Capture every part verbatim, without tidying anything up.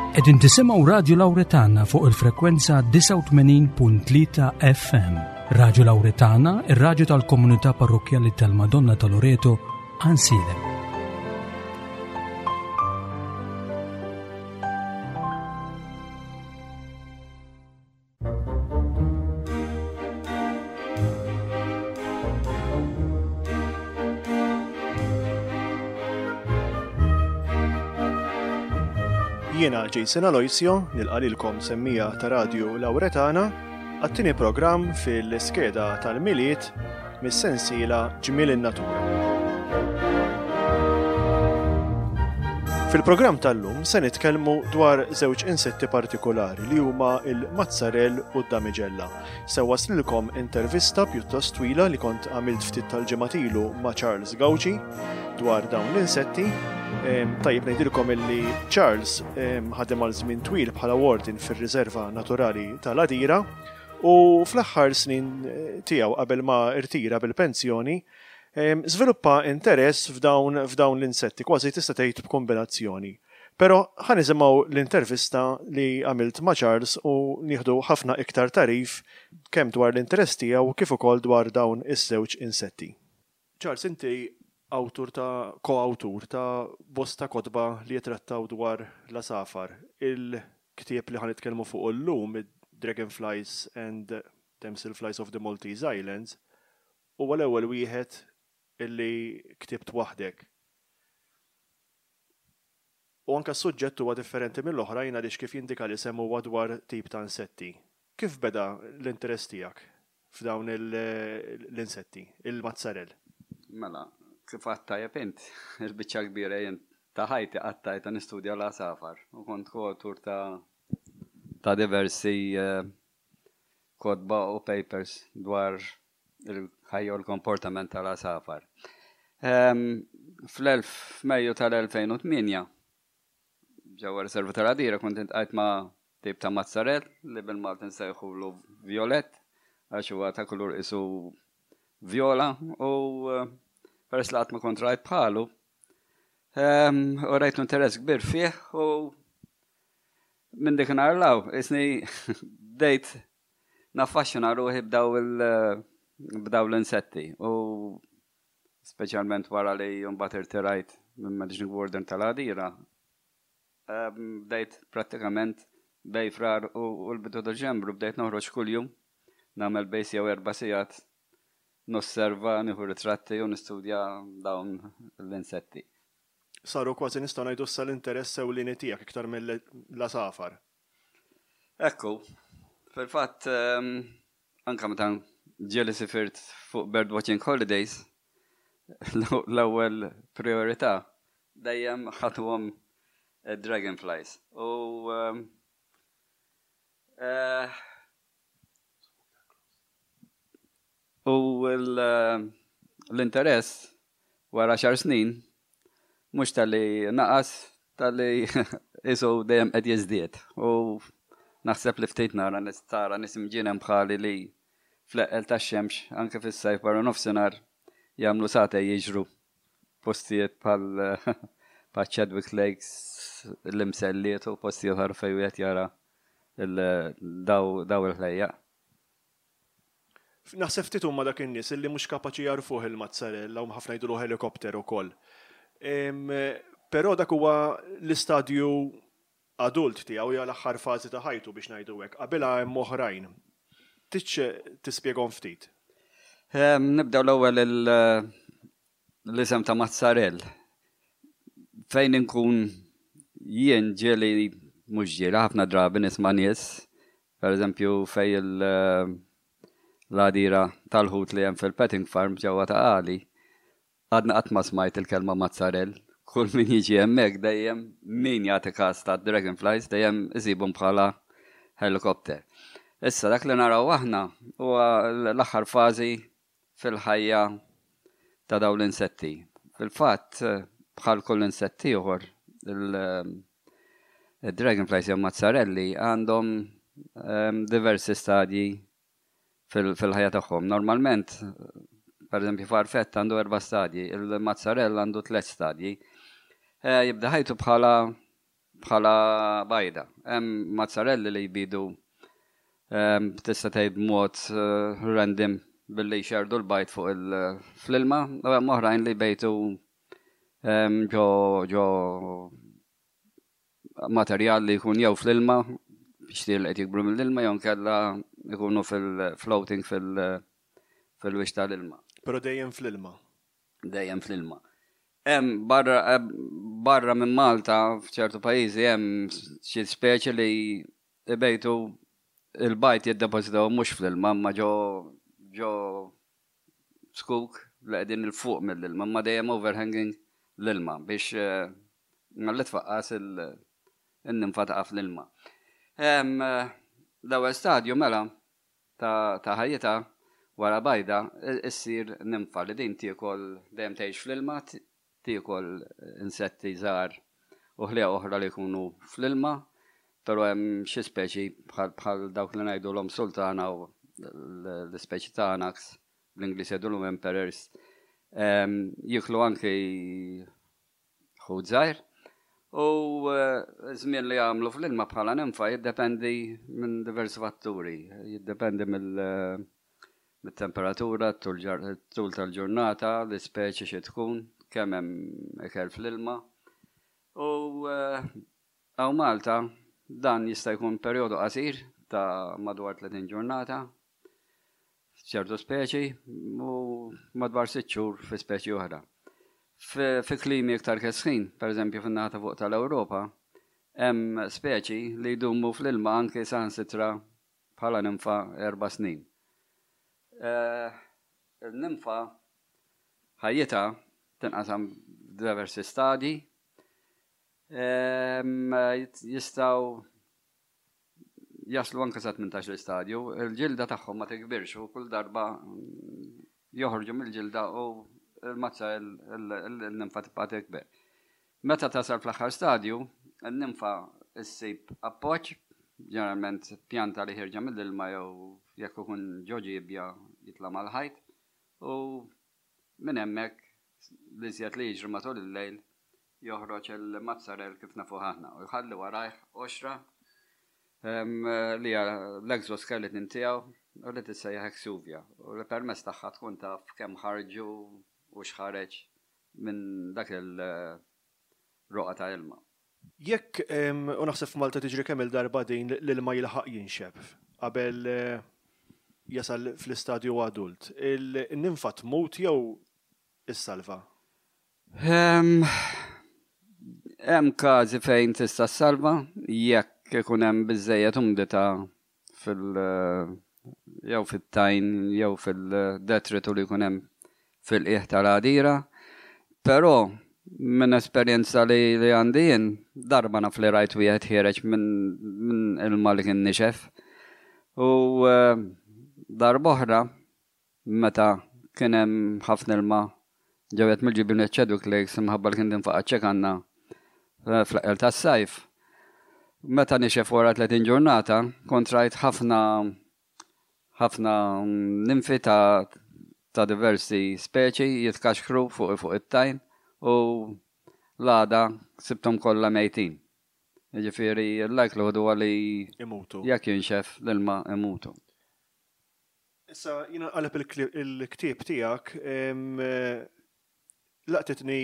Qegħdin tisimgħu Radio Lauretana fuq il-frekwenza disgħa u tmenin punt tlieta F M. Radio Lauretana, ir-radju tal-komunità parrokjali tal-Madonna ta' Loreto, Għajnsielem. Jiena Jason Aloisio, nilqa' lilkom semmiegħa ta' Radio Lauretana għat-tieni programm fil-iskeda tal-Milied mis-sensiela Ġmiel in-Natura. Fil-programm tal-lum se nitkellmu dwar żewġ insetti partikolari li huma il-mazzarell u d-damiġella. Se waslilkom intervista pjuttost twila li kont għamilt ftit tal-ġimgħat ilu ma' Charles Gauci dwar dawn l-insetti. Tajjeb ngħidilkom illi Charles ħadem għal żmien twil bħala warden fir-Riserva Naturali tal-Għadira u fl-aħħar snin eh, tiegħu qabel ma irtira bil-pensjoni żviluppa interess f'dawn f'dawn l-insetti, kważi tista' tgħid b'kombinazzjoni. Però ħa nisimgħu l-intervista li għamilt ma' Charles u nieħdu ħafna iktar tagħrif kemm dwar l-interess tiegħu kif ukoll dwar dawn iż-żewġ insetti. Charles, inti awtur ta' ko-awtur ta' bosta kotba li jitrattaw dwar l-għasafar. Il-ktieb li ħa nitkellmu fuq illum, Dragonflies and Damselflies of the Maltese Islands, huwa l-ewwel wieħed illi ktibt waħdek. U anka s-suġġett huwa differenti mill-oħrajn għaliex, kif jindika l-isem, huwa dwar tip ta' insetti. Kif beda l-interess tiegħek f'dawn l-insetti, il-mazzarell? Mela, kif għedt tajjeb int, il-biċċa kbira jien ta' ħajti qattajtha nistudja l-għasafar u kont koautur ta' ta' diversi uh, kotba u papers dwar il-ħajja u l-komportament tal-għasafar. Um, Fl-elf Mejju tal-elfejn u tmienja ġewwa Riserva tal-Għadira kont iltqajt ma' tip ta' mazzarell li bil-Malti nsejħulu violet għax huwa ta' kulur isu viola u eh, peress li qatt ma kont rajt bħalu um, u rajt interess kbir fih u minn dik nhar 'l hawn bdejt naffaxxina ruħi b'daw il- b'daw l-insetti u speċjalment wara li mbagħad irtirajt minn Managing Warden tal-Għadira, bdejt prattikament bejn Frar u l-bidu Deċembru bdejt noħroġ kuljum nagħmel bejn jew erba' sigħat nosserva, nieħu ritratti u nistudja dawn l-insetti. Saru kważi, nistgħu ngħidu issa, l-interess ewlieni tiegħek iktar mill-għasafar. Ekku, fil-fatt anka meta ġieli sifirt fuq birdwatching holidays, l-ewwel priorità dejjem ħadtuhom dragonflies. U uh, u l-interess wara għaxar snin mhux talli naqas, talli isu dejjem qed jiżdied. U naħseb li ftit nara tara nies imġienen bħali li fl-eqqel tax-xemx, anke fis-sajf barra nofsinhar, jagħmlu sagħtejn jiġru postijiet bħal bħal Chadwick Lakes, l-Imselliet u postijiet oħra fejn wieħed jara daw il-ħlejjaq. Naħseb ftit huma dak in-nies illi mhux kapaċi jagħrfuh il-mazzarella, u ħafna jgħidulu helikopter ukoll. Però dak huwa l-istadju adult tiegħu jew l-aħħar fażi ta' ħajtu, biex ngħidu hekk. Qabilha hemm oħrajn. Tridx tispjegahom ftit? Nibdew l-ewwel l-isem ta' mazzarell. Fejn inkun jien ġieli, mhux ġieli, ħafna drabi nisma' nies, per eżempju fejn l-għadira tal-ħut li hemm fil-petting farm ġewwa Ta' Qali, għadna qatt ma smajt il-kelma mazzarell. Kull min jiġi hemmhekk dejjem min jagħti każ ta' dragonflies dejjem isibhom bħala helikopter. Issa dak li naraw aħna huwa l-aħħar fażi fil-ħajja ta' dawn l-insetti. Fil-fatt, bħal kull insetti ieħor, il-dragonflies jew mazzarelli għandhom diversi stadji fil-ħajja tagħhom. Normalment, per eżempju, farfett għandu erba' stadji, il-mazzarell għandu tliet stadji. Jibda ħajtu bħala bħala bajda. Hemm mazzarelli li jbidu ehm, tista' tgħid b'mod eh, random billi jxerdu l-bajd fuq fl-ilma, u hemm oħrajn li jbejtu ehm, ġo ġo materjal li jkun jew fl-ilma, biex li qed jikbru mill-ilma, jew nkella jkunu fil-floating fil-wiċċ tal-ilma. Però dejjem fl-ilma. Dejjem fl-ilma. Hemm barra barra minn Malta, f'ċertu pajjiżi, hemm xi speċi li ibejtu, il-bajd jiddepożitaw mhux fl-ilma, ma ġo ġo zkuk li qegħdin 'il fuq mill-ilma, ma dejjem overhanging l-ilma biex malli tfaqqas il-ninfa taqa' fl-ilma. L-ewwel stadju mela ta' ħajjitha wara bajda issir nimfa li din tiekol, dejjem tgħix fl-ilma, tiekol insetti żgħar u ħlejjaq oħra li jkunu fl-ilma, però hemm xi speċi bħal dawk li ngħidulhom sultana u l-ispeċi ta' anax, bl-Ingliż jgħidulhom emperors, jiklu anki ħut żgħir. U żmien li jagħmlu fl-ilma bħala nimfa jiddependi minn diversi fatturi, jiddependi mill mit-temperatura, tul tal-ġurnata, l-ispeċi xi tkun, kemm hemm ikel fl-ilma. U hawn Malta dan jista' jkun perjodu qasir ta' madwar tletin ġurnata f'ċertu speċi u madwar sitt xhur fi speċi oħra. Fi klimi iktar kesħin, per eżempju fin-naħa ta' fuq tal-Ewropa, hemm speċi li jdumu fl-ilma anke saħansitra bħala nimfa erba' snin. Il-nimfa ħajjitha tinqasam f'diversi stadji. Jistgħu jaslu anke sa tmintax-il stadju. Il-ġilda tagħhom ma tikbirx u kull darba joħorġu mill-ġilda u il-mazza il-nimfa tibqa' tikber. Meta tasal fl-aħħar stadju, il-nimfa issib appoġġ, ġeneralment pjanta li ħierġa mill-ilma jew jekk ikun ġo ġiebja jitla' mal-ħajt, u minn hemmhekk l-iżjed li jiġri matul il-lejl joħroġ il-mazzarell kif nafuh aħna u jħalli warajh qoxra li hija l-exoskeleton tiegħu u li tissejjaħ exuvia u li permezz tagħha tkun taf kemm ħarġu u x'ħareġ minn dak il-roqgħa ta' ilma. Jekk, u naħseb f'Malta tiġri kemm il-darba din, l-ilma jilħaq jinxef qabel jasal fl-istadju adult, il-ninfa tmut jew issalva? Hemm każi fejn tista' ssalva jekk ikun hemm biżejjed umdità fil- jew fit-tajn jew fil-detritu li jkun hemm fil-qiegħ tal-għadira. Però minn esperjenza li li għandi jien, darba naf li rajt wieħed ħiereġ minn ilma li kien nixef. U darba oħra meta kien hemm ħafna ilma ġewet mill-ġibin Chadwick Lakes imħabba li kien tinfaqa' ċekanna fl-eqqel tas-sajf. Meta nixef wara tletin ġurnata, kont rajt ħafna ħafna ninfi ta' ta' diversi speċi jitkaxkru fuq fuq it-tajn u l-għada sibthom kollha mejtin. Jiġifieri l-likelihood huwa li imutu. Jekk jinxef l-ilma, imutu. Issa jiena qaleb il-ktieb tiegħek, laqtitni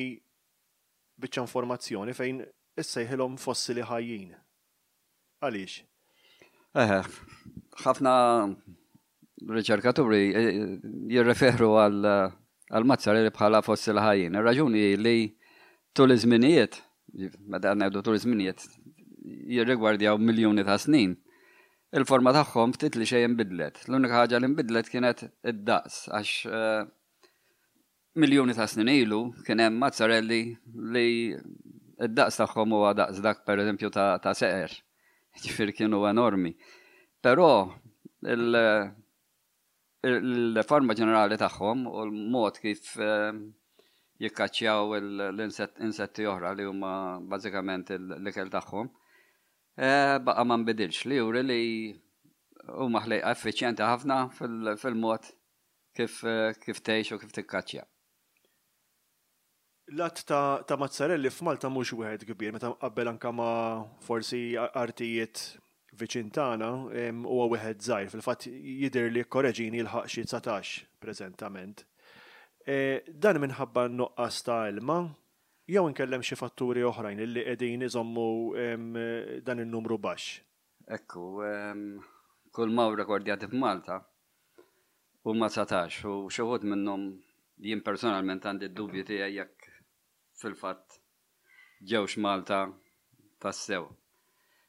biċċa informazzjoni fejn issejħilhom fossili ħajjin. Għaliex? Eħe, ħafna riċerkaturi jirreferu għal mazzarelli bħala fossili ħajjin. Ir-raġuni li tul iż-żminijiet, meta ngħidu tul iż-żminijiet, jirrigwardjaw miljuni ta' snin, il-forma tagħhom ftit li xejn inbidlet. L-unika ħaġa li nbidlet kienet id-daqs, għax miljuni ta' snin ilu kien hemm mazzarelli li id-daqs tagħhom huwa daqs dak, pereżempju, ta', ta seqer. Ġifieri kienu enormi. Però il-forma ġenerali tagħhom u l-mod kif jikkaċċjaw l-insetti oħra li huma bażikament l-ikel tagħhom baqa' ma nbidilx, li juri li huma ħlejqa effiċjenti ħafna fil-mod kif kif tgħix u kif tikkaċċja. L-għadd ta', ta' mazzarelli f'Malta mhux wieħed kbir, meta qabel anka ma' forsi artijiet viċin tagħna huwa wieħed żgħir. Fil-fatt jidher li korreġini jilħaq xi dsatax preżentament. E, dan minħabba nuqqas ta' ilma jew inkellem xi fatturi oħrajn li qegħdin iżommu dan in-numru baxx? Ekku, kull ma rekordjati f'Malta huma dsatax u xi wħud minnhom jien personalment għandi d-dubju tiegħi jekk fil-fatt ġewx Malta tassew.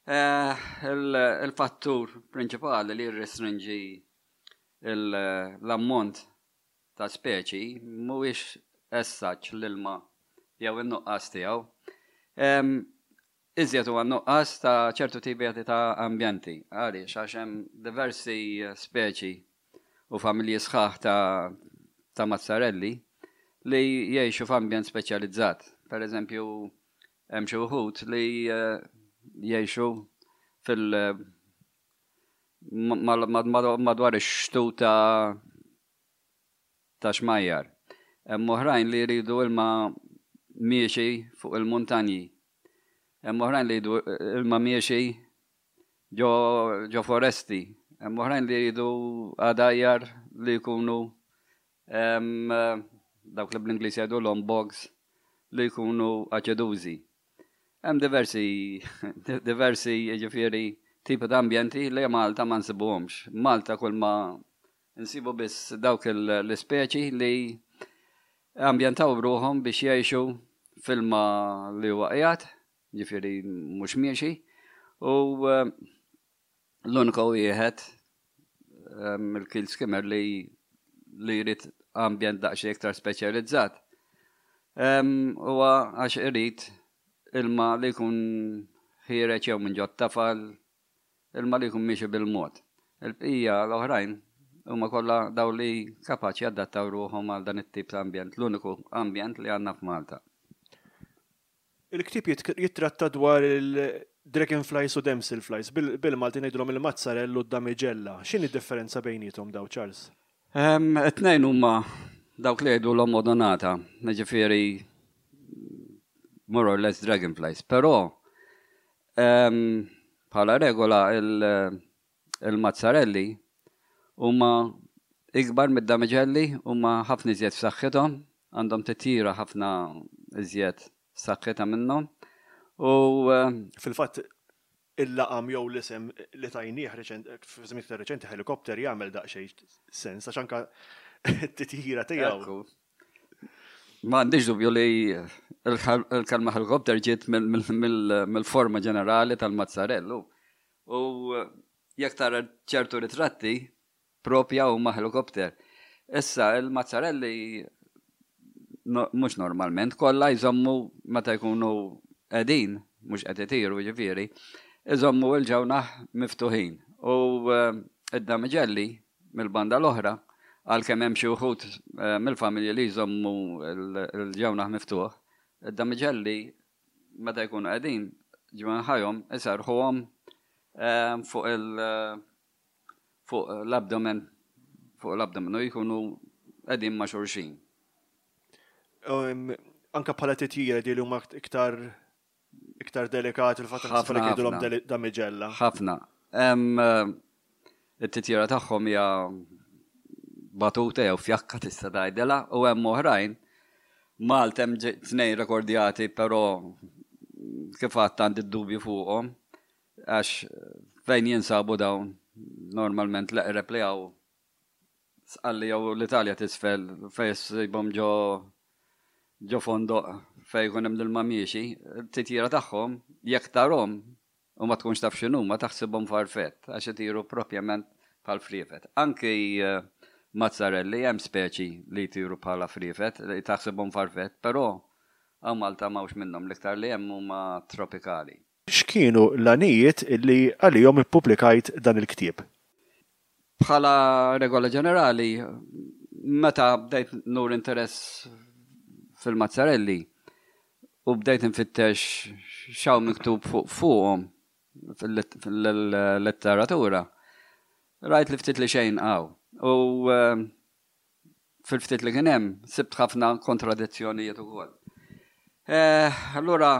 Eh, il-fattur prinċipali li jirrestrinġi l-ammont ta' speċi mhuwiex essaċ l-ilma jew in-nuqqas tiegħu. Iżjed huwa nuqqas ta' ċertu tipi ta' ambjenti. Għaliex għax hemm diversi speċi u familji sħaħ ta' ta' mazzarelli li jgħixu f'ambjent speċjalizzat. Per eżempju, hemm xi wħud li eh, jgħixu fil madwar ix-xtut ta' ta' xmajjar. Hemm oħrajn li jridu ilma miexi fuq il-muntanji. Hemm oħrajn li jridu ilma miexi ġo, ġo foresti. Hemm oħrajn li jridu għadajjar li jkunu dawk li bl-Ingliż jgħidu bogs li jkunu aċedużi. Hemm diversi diversi jiġifieri tipi ta' ambjenti li Malta ma nsibuhomx. Malta kull ma nsibu biss dawk l-ispeċi li ambjentaw ruħhom biex jgħixu f'ilma li huwa qiegħed, ġifieri mhux miexi, u eh, l-uniku wieħed eh, il-keeled skimmer li li jrid ambjent daqsxejn iktar speċjalizzat. Huwa għax irid ilma li jkun ħiereġ jew minn ġot tafal, ilma li jkun miexi bil-mod. Il-bqija l-oħrajn huma kollha daw li kapaċi jadattaw ruħhom għal dan it-tip ta' ambjent, l-uniku ambjent li għandna f'Malta. Il-ktieb jittratta dwar il-dragonflies u damselflies, bil-Malti ngħidulhom il-mazzarell u d-damiġella. X'inhi d-differenza bejniethom daw, Charles? It-tnejn huma dawk li jgħidu l-Odonata, ġifieri more or less dragonflies, però bħala regola il-mazzarelli huma ikbar mid-damiġelli, huma ħafna iżjed f'saħħithom, għandhom titjira ħafna iżjed saħħitha minnhom. U fil-fatt il-laqam jew l-isem li tajnieh f'żmien iktar reċenti helikopter jagħmel daqsxejn sens għax anka t-titjira tiegħu. Ma għandix dubju li il-kelma helikopter ġiet mill-forma ġenerali tal-mazzarellu. U jekk tara ċertu ritratti propja huma helikopter. Issa il-mazzarelli mhux normalment kollha jżommu meta jkunu qegħdin, mhux qed itiru ġifieri, iżommu l-ġewnaħ miftuħin. U id-damiġelli mill-banda l-oħra, għalkemm hemm xi wħud mill-familji li jżommu l-ġewnaħ miftuħ, id-damiġelli meta jkunu qegħdin ġwenħajhom iserħuhom fuq il fuq l-abdomen fuq l-abdomen u jkunu qegħdin ma' xulxin. Anka bħala titjira di li huma iktar iktar delikat il-fatt li jgħidulhom damiġella. Ħafna. It-titjira tagħhom hija batuta jew fjakka tista' tgħidilha u hemm oħrajn Malta hemm tnejn rekordjati però kif għadt għandi d-dubju fuqhom għax fejn jinsabu dawn normalment l-eqreb li hawn Sqalli jew l-Italja t'isfel fejn issibhom ġo ġo fondoq fejn jkun hemm l-ilma miexi, t-titjira tagħhom jekk tarhom u ma tkunx taf x'inhuma taħsibhom farfett għax itiru propjament bħal friefet. Anki mazzarelli hemm speċi li jtiru bħala friefet li taħsibhom farfett, però hawn Malta m'hawnx minnhom, l-iktar li hemm huma tropikali. X'kienu l-għanijiet li għalihom ippubblikajt dan il-ktieb? Bħala regola ġenerali, meta bdejt nur interess fil-mazzarelli u bdejt nfittex x'hawn miktub fuq fuqhom fil-letteratura, rajt li ftit li xejn hawn. U fil-ftit li kien hemm sibt ħafna kontradizzjonijiet ukoll. Eh, allura,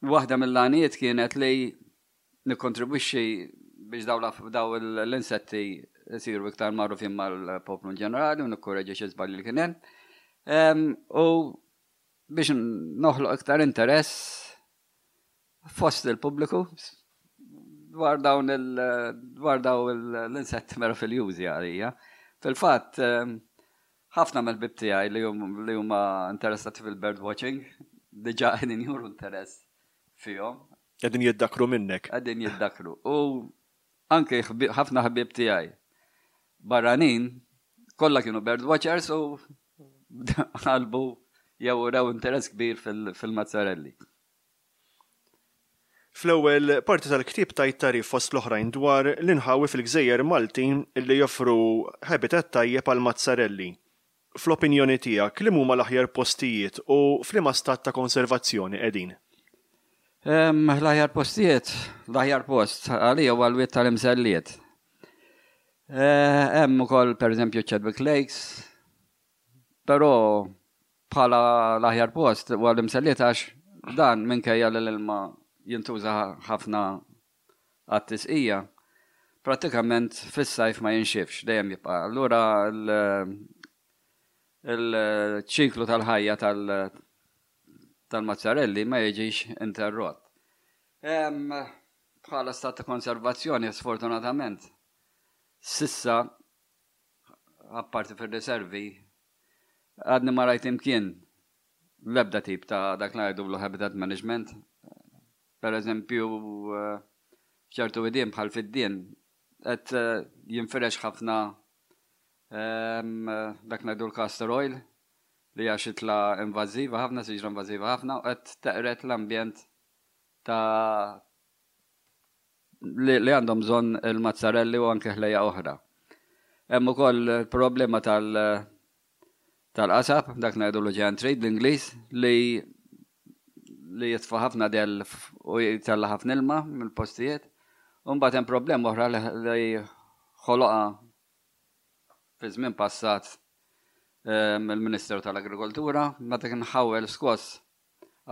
waħda mill-għanijiet kienet li nikkontribwixxi biex daw daw l-insetti jsiru iktar magħrufin mal-poplu ġenerali u nikkoreġi xi żbalji li kien hemm. U biex noħloq iktar interess fost il-pubbliku dwar dawn dwar dawn l-insetti meraviljużi għalija. Fil-fatt, ħafna mill-ħbieb tiegħi li huma interessati fil-bird watching diġà qegħdin juru interess fihom. Qegħdin jiddakru minnek. Qegħdin jiddakru. U anke ħafna ħbieb tiegħi barranin kollha kienu bird watchers u qalbu jew raw interess kbir fil-mazzarelli. Fl-ewwel parti tal-ktieb tajt tagħrif fost l-oħrajn dwar l-inħawi fil-gżejjer Maltin li joffru habitat tajjeb għal mazzarelli. Fl-opinjoni tiegħek, li huma l-aħjar postijiet u f'liema stat ta' konservazzjoni qegħdin? L-aħjar postijiet, l-aħjar post għalija huwa l-wied tal-Imselliet. Eh, hemm ukoll, pereżempju, Chadwick Lakes, però bħala l-aħjar post huwa l-Imselliet għax dan, minkejja li l-ilma jintuża ħafna għat-tisqija, prattikament fis-sajf ma jinxifx, dejjem jibqa'. Allura il-ċiklu tal-ħajja tal-mazzarelli ma jiġix interrott. Bħala stat ta' konservazzjoni, sfortunatament, s'issa, apparti fil-riservi, għadni ma rajt imkien l-ebda tip ta' dak li ngħidu habitat management. Per eżempju, ċertu widien bħal fid-Dien, qed jinfirex ħafna dak ngħidu l-castor oil, li hija xitla invażiva ħafna, siġra invażiva ħafna, u qed teqred l-ambjent ta' li, li għandhom bżonn il-mazzarelli u anke ħlejja oħra. Hemm ukoll problema tal tal-qasab, dak ngħidu l giant tree bl-Ingliż, li li jitfa' ħafna del u jtella' ħafna ilma mill-postijiet. U mbagħad hemm problema oħra li ħoloqha fi żmien passat il-Ministeru tal-Agrikoltura meta kien ħawel skoss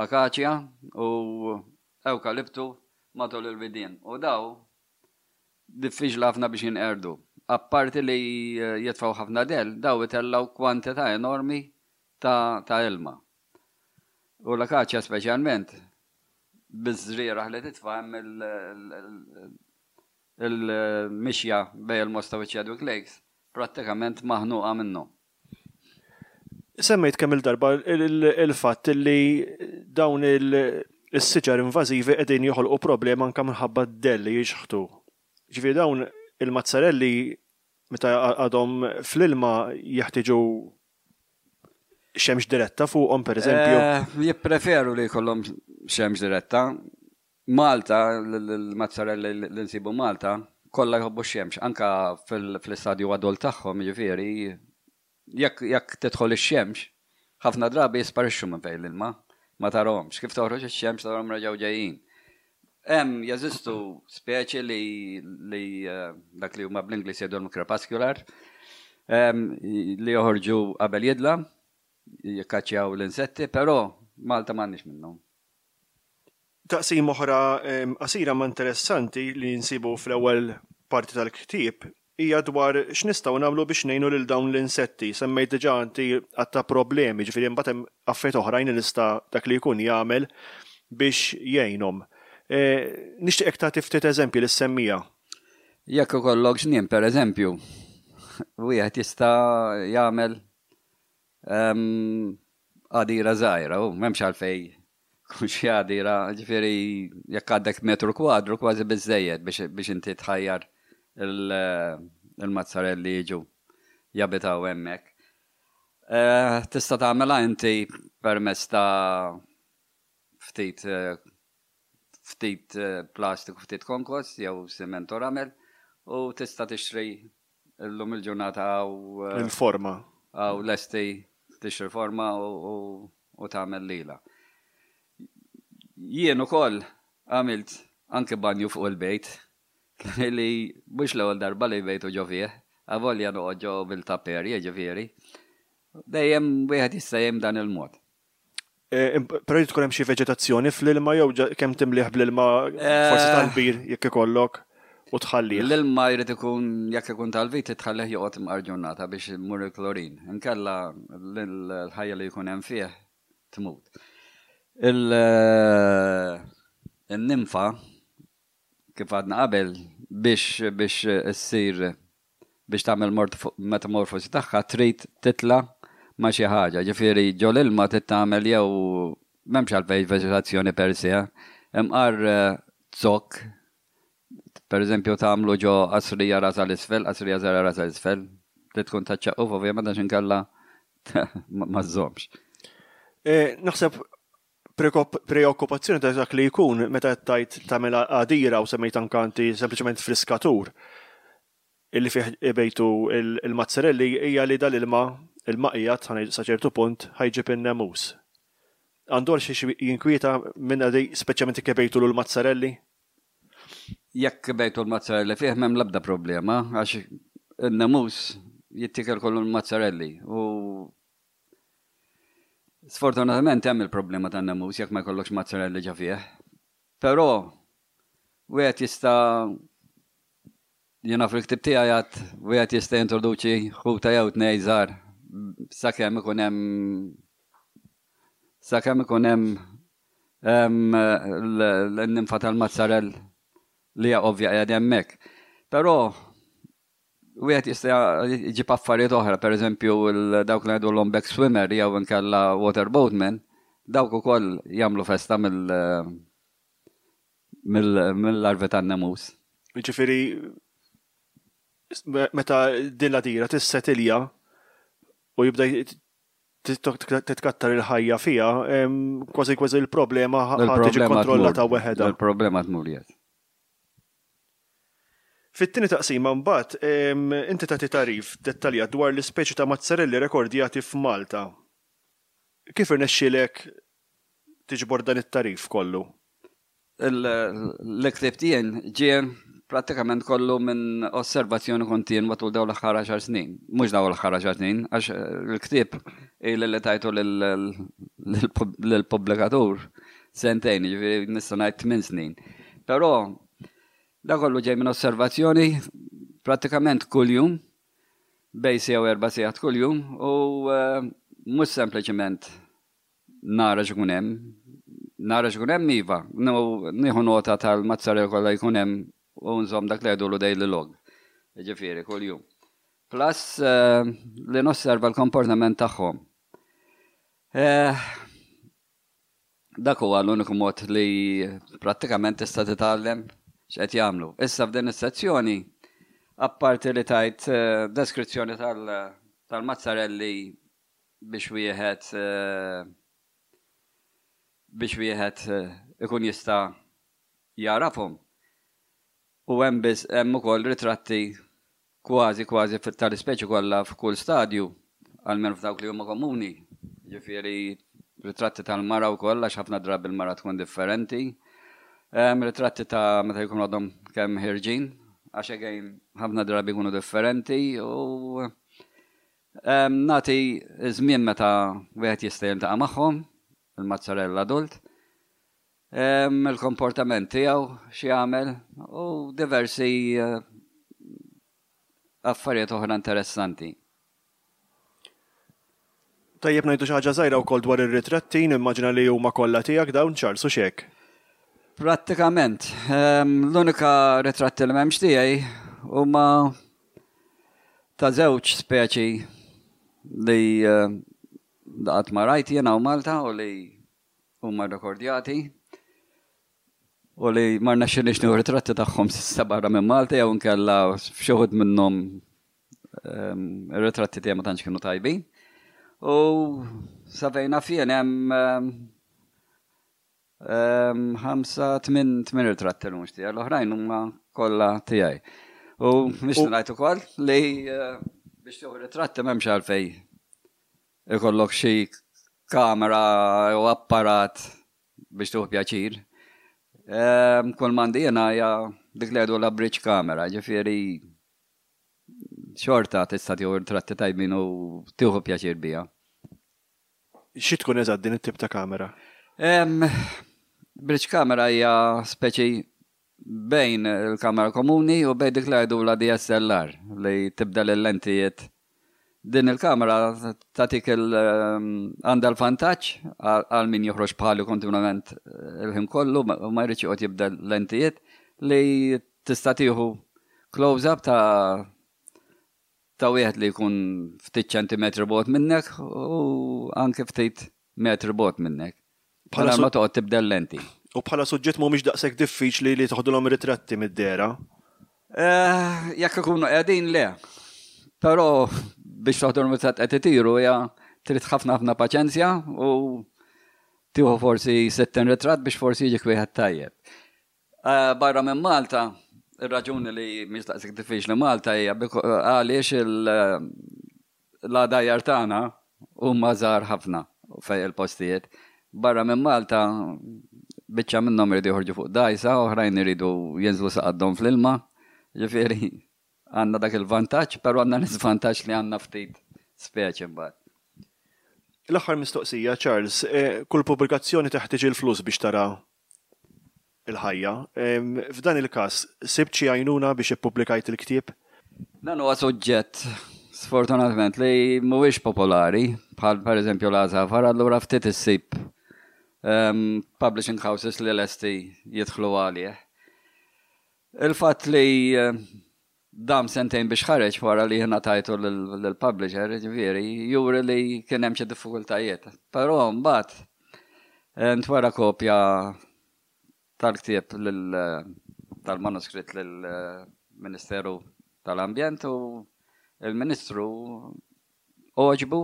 akaċja u ewkaliptu matul il-widien. U daw diffiċli ħafna biex jinqerdu. Apparti li jitfaw ħafna del, daw itellaw kwantità enormi ta', ta ilma. U l-akaċja speċjalment, biż-żrieragħ li titfa' hemm il-mixja bejn il-Mosta u Chadwick Lakes prattikament maħnuqa minnu. Semmejt kemm il-darba il-fatt li dawn il-siġar invażivi qegħdin joħolqu problema anke minħabba d-dell li jixħtu. Ġifieri dawn il-mazzarelli meta għadhom fl-ilma jeħtieġu xemx diretta fuqhom, pereżempju. Eh, jippreferu li jkollhom xemx diretta. Malta, l-mazzarelli li nsibu Malta, kollha jħobbu x-xemx, anka fl-istadju adult tagħhom, jiġifieri jekk jekk tidħol ix-xemx, ħafna drabi jisparixxu minn fejn l-ilma, ma tarahomx. Kif toħroġ ix-xemx tarahom reġgħu ġejjin. Hemm jeżistu speċi li li eh, dak li huma bl-Ingliż jgħidulhom crepuscular, li joħorġu qabel jidla, jikkaċċjaw l-insetti, però Malta m'għandniex minnhom. Taqsim oħra qasira ma interessanti li nsibu fl-ewwel parti tal-ktieb hija dwar x'nistgħu nagħmlu biex ngħinu lil dawn l-insetti. Semmejt diġà inti għadd ta' problemi, ġifieri mbagħad hemm affarijiet oħrajn li nista' dak li jkun jagħmel biex jgħinhom. E, nixtieqek tagħti ftit eżempji li semmija. Jekk ikollok ġnien, per eżempju, wieħed jista' jagħmel għadira żgħira, u m'hemmx għalfejn kun xi għadira, ġifieri jekk għandek metru kwadru kważi biżejjed biex inti tħajjar il-mazzarelli jiġu jabitaw hemmhekk. Eh, tista' tagħmilha inti permezz ta' ftit eh, ftit eh, plastik u ftit konkos jew siment u ramel u tista' tixtri illum il-ġurnata għaw il-forma. Għaw lesti, tixtri forma u tagħmel lila. Jien ukoll għamilt anke banju fuq il-bejt li mhux l-ewwel darba li bejtu ġo fih, avolja noqgħod ġo bil-tapper, jiġifieri. Dejjem wieħed jista' jgħin dan il-mod. Eh, però jrid tkun hemm xi veġetazzjoni fl-ilma jew kemm timliħ bl-ilma forsi eh, tal-bir jekk ikollok u tħallih. L-ilma jrid ikun, jekk ikun tal-vit, tħallih joqgħod imqar ġurnata biex imur il-klorin. Inkella l-ħajja li jkun hemm fih tmut. Il-nimfa, kif għadna qabel, biex biex issir, biex tagħmel metamorfosi tagħha, trid titla' ma' xi ħaġa. Ġifieri ġol ilma trid tagħmel jew m'hemmx għalfejn veġetazzjoni per se, imqar zokk, per eżempju, tagħmlu ġo qasrija rasa l-isfel, qasrija żgħira rasa l-isfel, trid tkun taċċaqquf ovvjament għax inkella ma żżommx. Naħseb preokkupazzjoni ta' dak li jkun meta tajt tagħmel għadira u semmejt anka inti sempliċement friskatur illi fih ibejtu il-mazzarelli hija li dal-ilma il-maqjat sa ċertu punt ħa jġib in-nemus. Għandu għal xi jinkwieta minn għadi, speċjalment jekk ibejtu l-mazzarelli? Jekk ibejtu l-mazzarelli fih, m'hemm l-ebda problema, għax in-nemus jittiekel kollu l-mazzarelli u sfortunatament hemm il-problema tan-nemus jekk ma jkollokx mazzarelli ġa fih. Però wieħed jista', jiena fil-ktib tiegħi għad, wieħed jista' jintroduċi ħuta jew tnejn żgħar sakemm ikun hemm sakemm ikun hemm l-nimfa tal-mazzarell li hija ovvja qiegħed hemmhekk. Però wieħed jista' jġib affarijiet oħra, pereżempju dawk li ngħidu l-back swimmer jew inkella water boatman, dawk ukoll jagħmlu festa mill-larvi tan-nemus. Ġifieri meta din l-għadira tissetilja u jibda titkattar il-ħajja fija, kważi kważi il-problema tiġi kontrollata weħeda. Il-problema tmur jgħid. Fit-tieni taqsima mbagħad inti tagħti tagħrif dettaljat dwar l-ispeċi ta' mazzarelli rekordjati f'Malta. Kif irnexxielek tiġbor dan it-tagħrif kollu? L-ktieb tiegħi ġie prattikament kollu minn osservazzjoni kontinwa tul dawn l-aħħar għaxar snin. Mhux dawn l-aħħar għaxar snin, għax il-ktieb ili li tajtu lill-pubblikatur sentejn, ġifieri nista' ngħid tmien snin. Però da kollu ġej minn osservazzjoni prattikament kuljum, bejn siegħa u erba' sigħat kuljum, u mhux sempliċement nara x'ikun hemm. Nara x'ikun hemm, iva, nieħu nota tal-mazzarella kollha jkun hemm u nżomm dak li jgħidulu daily log. Ġifieri kuljum. Plus li nosserva l-komportament tagħhom. Dak huwa l-uniku mod li prattikament tista' titgħallem x'qed jagħmlu. Issa f'din is-sezzjoni, apparti li tajt deskrizzjoni tal-mazzarelli biex wieħed biex wieħed ikun jista' jarafhom. U hemm biss hemm ukoll ritratti kważi kważi tal-ispeċi kollha f'kull stadju, almenu f'dawk li huma komuni. Ġifieri ritratti tal-mara wkoll, għax ħafna drabi l-mara tkun differenti. Ritratti ta' meta jkunu għadhom kemm ħirġin, għax again ħafna drabi jkunu differenti, u nagħti żmien meta wieħed jista' jiltaqa' magħhom, il-mazzarella adult, il-komportament tiegħu x'jagħmel u diversi affarijiet oħra interessanti. Tajjeb ngħidu xi ħaġa żgħira wkoll dwar ir-ritratti, nimmaġina li huma kollha tiegħek dawn, Charles, u xek. Prattikament, l-unika ritratti li m'hemmx tiegħi huma ta' żewġ speċi li qatt ma rajt jiena u Malta u li huma rekordjati u li ma rnexxilniex nieħu ritratti tagħhom s'issa barra minn Malta, jew inkella f'xi wħud minnhom ir-ritratti tiegħi ma tantx kienu tajbin. U sa fejn naf jien hemm ħamsa, tmien, tmien ritratti li mhux tiegħi, l-oħrajn huma kollha tiegħi. U biex ngħid ukoll li biex tieħu ritratti m'hemmx għalfejn ikollok xi kamera u apparat biex tieħu pjaċir. Kull m'għandi jiena hija dik li jgħidu la bridge camera, ġifieri xorta tista' tieħu ritratti tajbin u tieħu pjaċir biha. Xi tkun eżatt din it-tip ta' kamera? Bridge camera hija speċi bejn il-kamera komuni u bejn dik li jgħidulha D S L R li tibdel il-lentijiet. Din il-kamera tagħtik il għandha l-vantaġġ għal min joħroġ bħali kontinwament il-ħin kollu u ma jridx joqgħod jibdel lentijiet, li tista' tieħu close-up ta' ta' wieħed li jkun ftit ċentimetri bogħod minnek u anke ftit metri bogħod minnek. Bħala ma toqgħod tibdel lenti. U bħala suġġett mhumiex daqshekk diffiċli li toħdulhom ritratti mid-dehra? Eh, jekk ikunu qegħdin, le. Però biex toħdulhom ritratt qed itiru hija trid ħafna ħafna paċenzja u tieħu forsi sittin ritratt biex forsi jiġik wieħed tajjeb. Eh, barra minn Malta, ir-raġuni li mhix daqshekk diffiċli Malta hija għaliex l-għadajjar tagħna huma żgħar ħafna fej il-postijiet. Barra minn Malta, biċċa minnhom iridu joħorġu fuq dajsa, oħrajn iridu jinżlu sa qaddhom fl-ilma. Ġifieri għandna dak il-vantaġġ, però għandna l-iżvantaġġ li għandna ftit speċi mbagħad. L-aħħar mistoqsija, Charles, eh, kull pubblikazzjoni teħtieġ il-flus biex tara il-ħajja. F'dan il-każ, sibt xi għajnuna biex ippubblikajt il-ktieb? Dan huwa suġġett sfortunatament li mhuwiex popolari, bħal pereżempju l-għasafar, allura ftit issib um, publishing houses li lesti jidħlu għalih. Il-fatt li eh, dam sentejn biex ħareġ wara li jiena tajtu l-publisher, ġifieri, juri li kien hemm xi diffikultajiet. Però mbagħad eh, ntwera kopja tal-ktieb tal-manuskritt lill-Ministeru tal-Ambjent u il-Ministru għoġbu,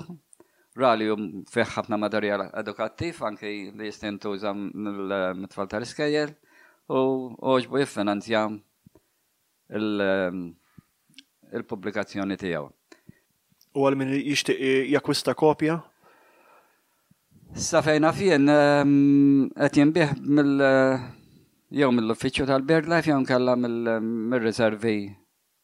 ra li fih ħafna materjal edukattiv anki li jista' jintuża mit-tfal tal-iskejjel u għoġbu jiffinanzja il-pubblikazzjoni tiegħu. U għal min jixtieq jakkwista kopja? Sa fejn naf jien qed jinbiegħ mill jew mill-uffiċċju tal-BirdLife jew nkella mill-riservi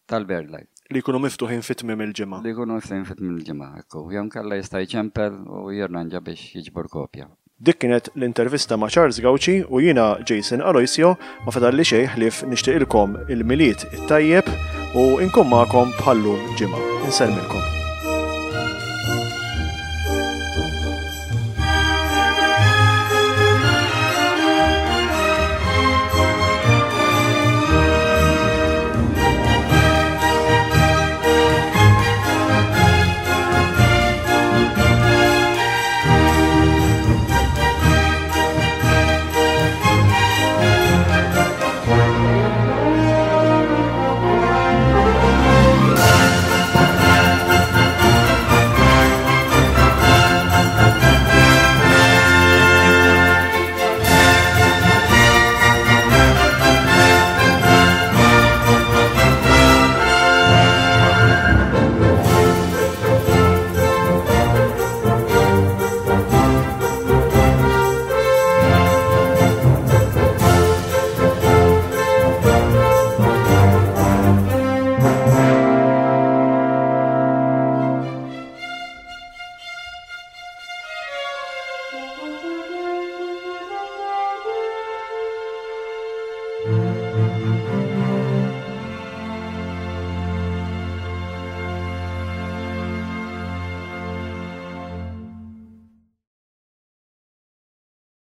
tal-BirdLife. Li jkunu miftuħin fi tmiem il-ġimgħa. Li jkunu miftuħin fi tmiem il-ġimgħa, ekku. Jew nkella jista' jċempel u jirranġa biex jiġbor kopja. Dik kienet l-intervista ma' Charles Gauci u jiena Jason Aloisio ma fadalli xejn ħlief nixtieqilkom il-Milied it-tajjeb u nkun magħkom bħal-lum ġimgħa. Insellmilkom.